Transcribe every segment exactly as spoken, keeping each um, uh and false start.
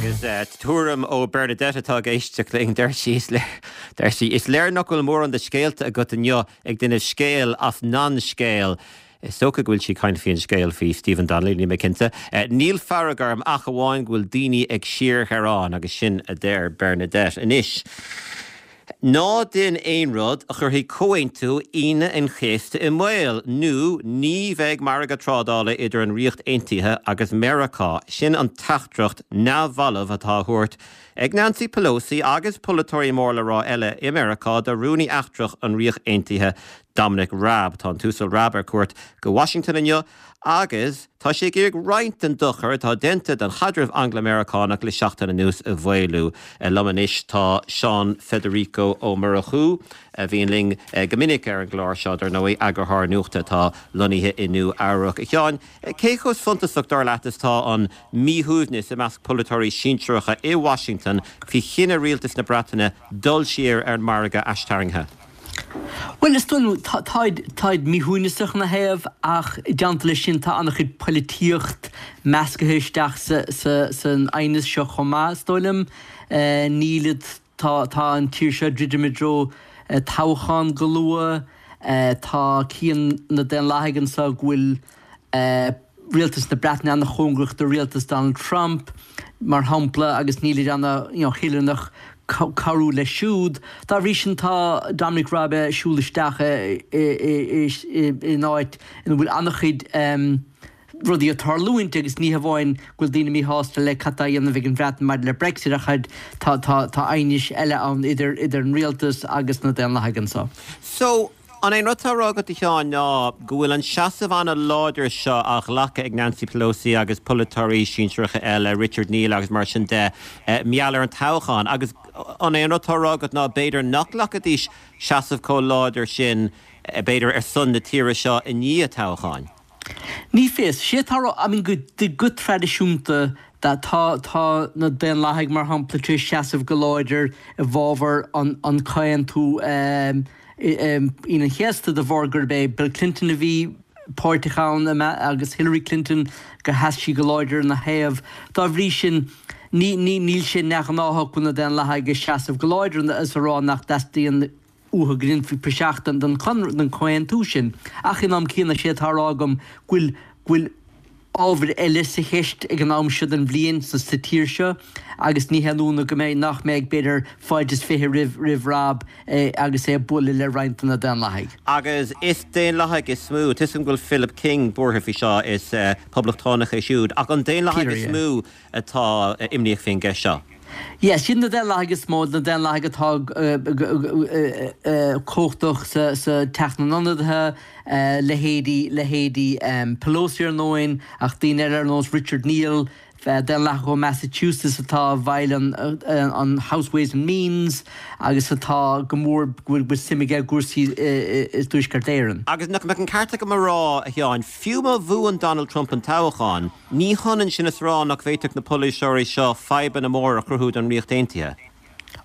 Agus tuairim ó Bernadette atá ag éisteacht linn deir sí deir sí is léir nach bhfuil mórán de scéalta agat inniu ag déanamh scéal as nan scéal. Is dócha go bhfuil sí ag caint faoin scéal faoi Stephen Donnelly níl mé cinnte. Níl fearg orm ach amháin go bhfuil daoine ag síorghearán agus sin a deir Bernadette. Anois. Ná déan aon rud a chuirfidh Comhaontú Aoine an Chéasta i mbaol nó ní bheidh margadh trádála idir an Ríocht Aontaithe agus Meiriceá. Sin an teachtaireacht neamhbhalbh atá á thabhairt ag Nancy Pelosi agus polaiteoirí mór le rá eile i Meiriceá do rúnaí eachtrach an Ríocht Aontaithe Dominic Raab tá an tUasal Raab ar cuairt go Washington inniu agus tá sé ag iarraidh roinnt den dochar atá déanta don chaidreamh Angla-Meiriceánach le seachtain anuas a mhaolú. Liom anois tá Seán Federico Ó Murchú a bhíonn linn go minic ar an gclár seo dar ndóigh eagarthóir nuachta atá lonnaithe i Nua-Eabhrac. A Sheáin, cé chomh suntasach dar leat is tá an míshuaimhneas i measc polaiteoirí sinsearacha i Washington faoi chinneadh rialtas na Breataine dul siar ar an margadh aistarraingthe. Well is dóigh táid míshuaimhneasach ina thaobh ach i dteannta leis sin tá an-chuid polaitíocht measctha isteach san aighneas seo chomh maith is dóigh liom. Nílid tá tá an tír seo druidim i dtreo toghchán go luath, tá cian na Daonlathaigh anseo go bhfuil rialtas na Breataine an-chóngarach do rialtas Donald Trump, mar shampla, agus nílid ana-thoilteanach cabhrú leis siúd. Dá bhrí sin tá Dominic Raab ag siúl isteach in áit ina bhfuil an-chuid rudaí ag tarlúint agus ní hamháin go bhfuil daoine míshásta le cad tá á dhéanamh ag an Bhreatain maidir le Brexit ach tá tá aighnis eile ann idir idir an rialtas agus na Daonlathaigh anseo. So, an é an rud atá á rá agat a Sheáin ná go bhfuil an seasamh an-láidir seo á ghlacadh ag Nancy Pelosi agus polaiteoirí sinsearacha eile, Richard Neal agus mar sin de, mar gheall ar an toghchán agus an é an rud atá á rá agat ná b'fhéidir nach nglacfaidís seasamh chomh láidir sin b'fhéidir ar son na tíre seo i ndiaidh toghcháin? Ní fios. Sé atá á rá, I mean go go traidisiúnta tá tá na Daonlathaigh mar shampla tar éis seasamh go láidir i bhfabhar an an comhaontú Aoine an Chéasta de bharr gurb é Bill Clinton a bhí páirteach ann agus Hillary Clinton gur sheas sí go láidir ina thaobh. Dá bhrí sin ní ní níl sé neamhghnáthach go bhfuil na Daonlathaigh ag seasamh go láidir is a rá nach dteastaíonn uathu go ndéanfaí praiseach den den den chomhaontú sin. Ach in am céanna sé atá á rá agam go bhfuil go bhfuil ábhair eile sa cheist ag an am seo den bhliain sa sa tír seo agus ní haon ionadh go mbeidh nach mbeidh b'fhéidir fáilte is fiche roimh roimh Raab agus é ag bualadh le roinnt de na Daonlathaigh. Agus is Daonlathaigh is mó, tuigim go bhfuil Philip King buartha faoi seo is poblachtánach é siúd, ach an Daonlathaigh is mó atá imníoch faoin gceist seo. Yes, sin na Daonlathaigh is mó, na Daonlathaigh atá cumhachtach sa sa Teach na nIonadaithe, leithéidí leithéidí Pelosi ar ndóigh, ach daoine eile ar nós Richard Neal, Daonlathach ó Massachusetts atá i bhfeighil an an House Ways and Means agus atá go mór go bhfuil suim aige i gcúrsaí i dTuaisceart Éireann. Agus nach mbeadh an ceart agam a rá, a Sheáin, fiú má bhuann Donald Trump an toghchán, Ní hionann sin is rá nach bhféadfadh na polaiteoirí seo fadhbanna móra a chruthú don Ríocht Aontaithe.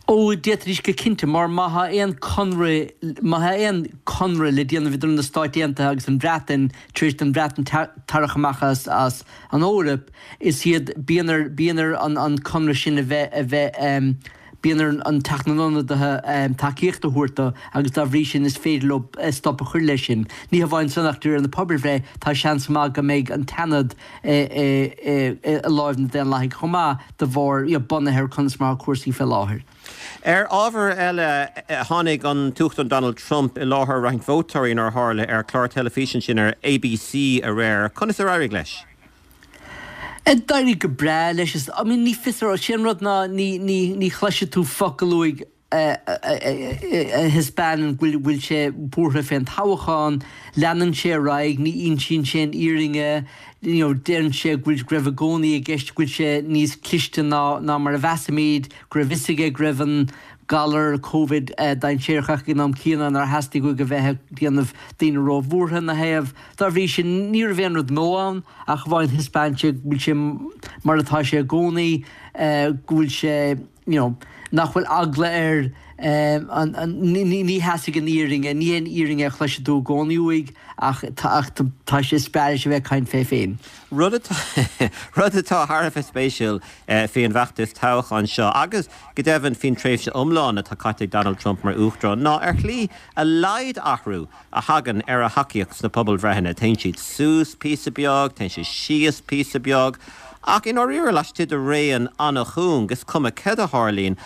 Ó, d'fhéadfaidís go cinnte, mar má tá aon conradh, má tá aon conradh le déanamh idir na Stáit Aontaithe agus an Bhreatain tar éis don Bhreatain tarrac amach as as an Eoraip, is iad, bíonn ar, bíonn ar an an conradh sin a bheith, a bheith, Bíonn ar an Teach na nIonadaithe tacaíocht a thabhairt dó agus dá bhrí sin is féidir leo stop a chur leis sin. Ní hamháin san ach de réir na pobalbhreith tá seans maith go mbeidh an tSeanad i láimh na Daonlathaigh chomh maith de bharr, bunaithe ar conas mar atá cúrsaí fé láthair. Ar ábhar eile, tháinig an tUachtarán Donald Trump i láthair roinnt vótóirí nár tharla ar chlár teilifíse ansin ar ABC aréir. Conas ar éirigh leis? D'éirigh go breá leis. Is, I mean, ní fios ar, sé an rud ná ní, ní, ní chloisfidh tú focal uaidh a thaispeánann go bhfuil, bhfuil sé buartha fén toghchán. Leanann sé ar aghaidh, ní insíonn sé an fhírinne, you know, deireann sé go bhfuil, go raibh i gcónaí i gceist go bhfuil sé níos cliste ná, ná mar a mheasaimid, go raibh fhios aige go raibh an galar Covid dainséarach ach ag an am céanna nár theastaigh uaidh a bheith ag déanamh daoine róbhuartha ina thaobh. Dá bhrí sin, ní raibh aon rud nua ann ach amháin thaispeáin sé go bhfuil sé mar atá sé i gcónaí, go bhfuil sé, you know, nach bhfuil eagla air Ní sheasfaidh an fhírinne, ní hé an fhírinne a chloisfidh tú i gcónaí uaidh ach tá sé is breá leis a bheith ag caint fé féin. Rud rud atá thar a bheith spéisiúil faoin bhfeachtas toghcháin seo agus go deimhin faoin tréimhse iomlán atá caite ag Donald Trump mar uachtarán ná ar shlí a laghad athrú a thagann ar a thacaíocht sna pobalbhreitheanna. Téann siad suas píosa beag, téann siad síos píosa beag, ach i ndáiríre laistigh de raon an-chúng, is cuma céard a tharlaíonn.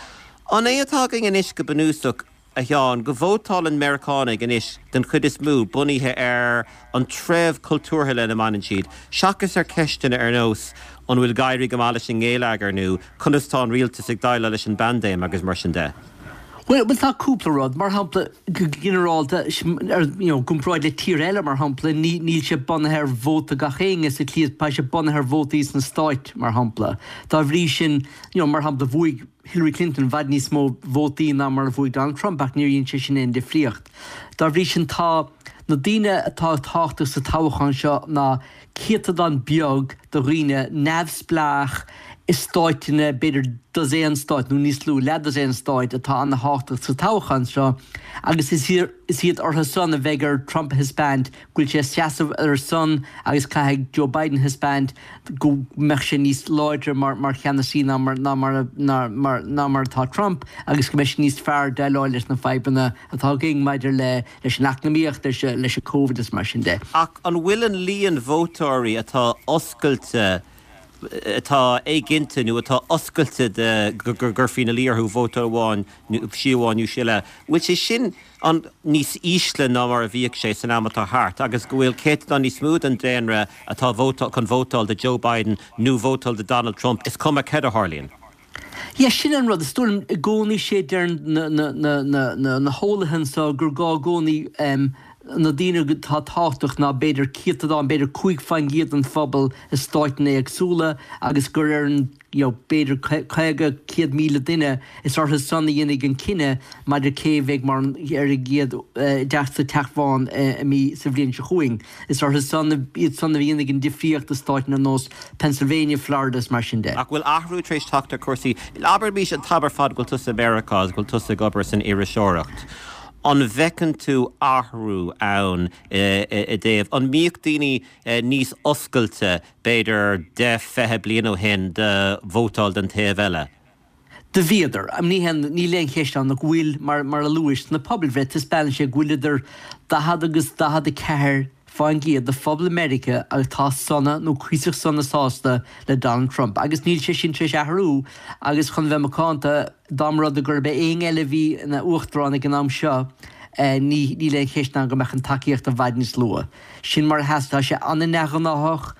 An é atá againn anois go bunúsach, a Sheáin, go vótálann Meiriceánaigh anois den chuid is mó bunaithe ar an treibh cultúrtha lena mbaineann siad, seachas ar cheisteanna ar nós an bhfuil ag éirí go maith leis an ngeilleagar nó conas tá an rialtas ag déileáil leis an bpaindéim agus mar sin de? Bhuel, bhuel tá cúpla rud, mar shampla, go ginearálta, ar, you know, gcomparáid le tír eile, mar shampla, ní, níl sé bunaithe ar vóta gach éinne sa tslí, tá sé bunaithe ar vótaí sna stáit, mar shampla. Dá bhrí sin, you know, mar shampla, bhuaigh Hillary Clinton i bhfad níos mó vótaí ná mar a bhuaigh Donald Trump ach níor dhein sé sin aon difríocht. Dá bhrí sin tá na daoine atá tábhachtach sa toghchán seo ná céatadán beag de dhaoine neamhspleách i stáiteanna, b'fhéidir dosaen stát nó níos lú, leathdosaen stát atá ana-thábhachtach sa toghchán seo agus is iad orthu san a bheidh ar Trump a thaispeáint go bhfuil sé ag seasamh ar a son agus caithfidh Joe Biden a thaispeáint go mbeadh sé níos láidre mar mar cheannasaí ná mar ná mar ná mar ná mar atá Trump agus go mbeidh sé níos fearr déileáil leis na fadhbanna atá againn maidir le leis an eacnamaíocht, leis leis an Covid is mar sin de. Ach an bhfuil an líon vótóirí atá oscailte atá éiginnte nó atá oscailte de go gcuirfí ina luí orthu vóta amháin nó sea amháin nó sea eile, bhfuil sé sin an níos ísle ná mar a bhíodh sé san am atá thart agus go bhfuil céatadán níos mó den daonra atá chun vótáil do Joe Biden nó vótáil do Donald Trump, is cuma céard a tharlaíonn? Yeah, sin an rud. Is dóigh liom i gcónaí sé deir na na na na na na heolaithe anseo gur gá i gcónaí na daoine atá tábhachtach ná b'fhéidir céatadán, b'fhéidir cúig faoin gcéad den phobal i stáiteanna éagsúla agus gur ar an you know, b'fhéidir caoga, céad míle duine, is orthu san a dhéanfaidh an cinneadh maidir cé a bheidh mar an ar an gcéad i dteach sa Teach Bhán i mí sa bhliain seo chugainn. Is orthu san iad san a dhéanfaidh an difríocht i stáiteanna ar nós Pennsylvania, Florida is mar sin de. Ach bhfuil athrú tar éis teacht ar chúrsaí? Abraimis an t-am ar fad go bhfuil tusa i Meiriceá agus go bhfuil tusa ag obair san iriseoireacht. An bhfeiceann tú athrú ann i dtaobh, an mbíodh daoine níos oscailte b'fhéidir deich, fiche bliain ó shin do vótáil don taobh eile? Do bhíodar. Ní haon, níl aon cheist ann go bhfuil, mar, mar a luais, sna pobalbhreith, taispeánann sé go bhfuil idir daichead agus daichead a ceathair fán gcéad de phobal Meiriceá atá sona nó cuíosach sona sásta le Donald Trump agus níl sé sin tar éis athrú agus chun bheith macánta, dá mba rud é gurb é éinne eile a bhí ina uachtarán ag an am seo, ní níl aon cheist ann go mbeadh an tacaíocht i bhfad níos lú. Sin mar a sheas, tá sé an-neamhghnáthach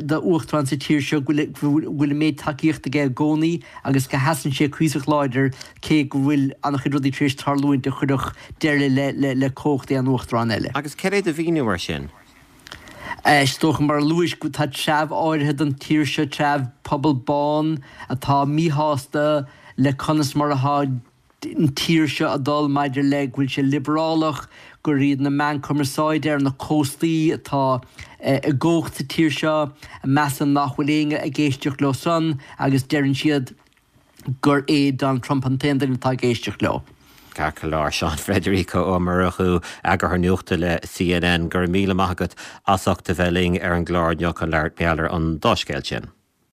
do uachtarán sa tír seo go bhfuil an méid tacaíochta aige i gcónaí agus go sheasann sé cuíosach láidir cé go bhfuil an-chuid rudaí tar éis tarlúint a chuirfeadh deireadh le le cumhacht aon uachtarán eile. Agus céard é do mhíniú air sin? Is dócha, mar a luais, tá treabh áirithe den tír seo, treabh pobal bán atá míshásta le conas mar atá an tír seo ag dul maidir le go bhfuil sé liobrálach, gur iad na meáin cumarsáide ar na cóstaí atá i gcumhacht sa tír seo, a measann nach bhfuil éinne ag éisteacht leo san agus deireann siad gur é Donald Trump an t-aon duine atá ag éisteacht leo. Ceart go leor, Seán Frederico Ó Murchú, Eagarthóir Nuachta le C N N, go raibh míle maith agat as ucht a bheith linn ar an gclár inniu chun labhairt mar gheall ar an dá scéal sin.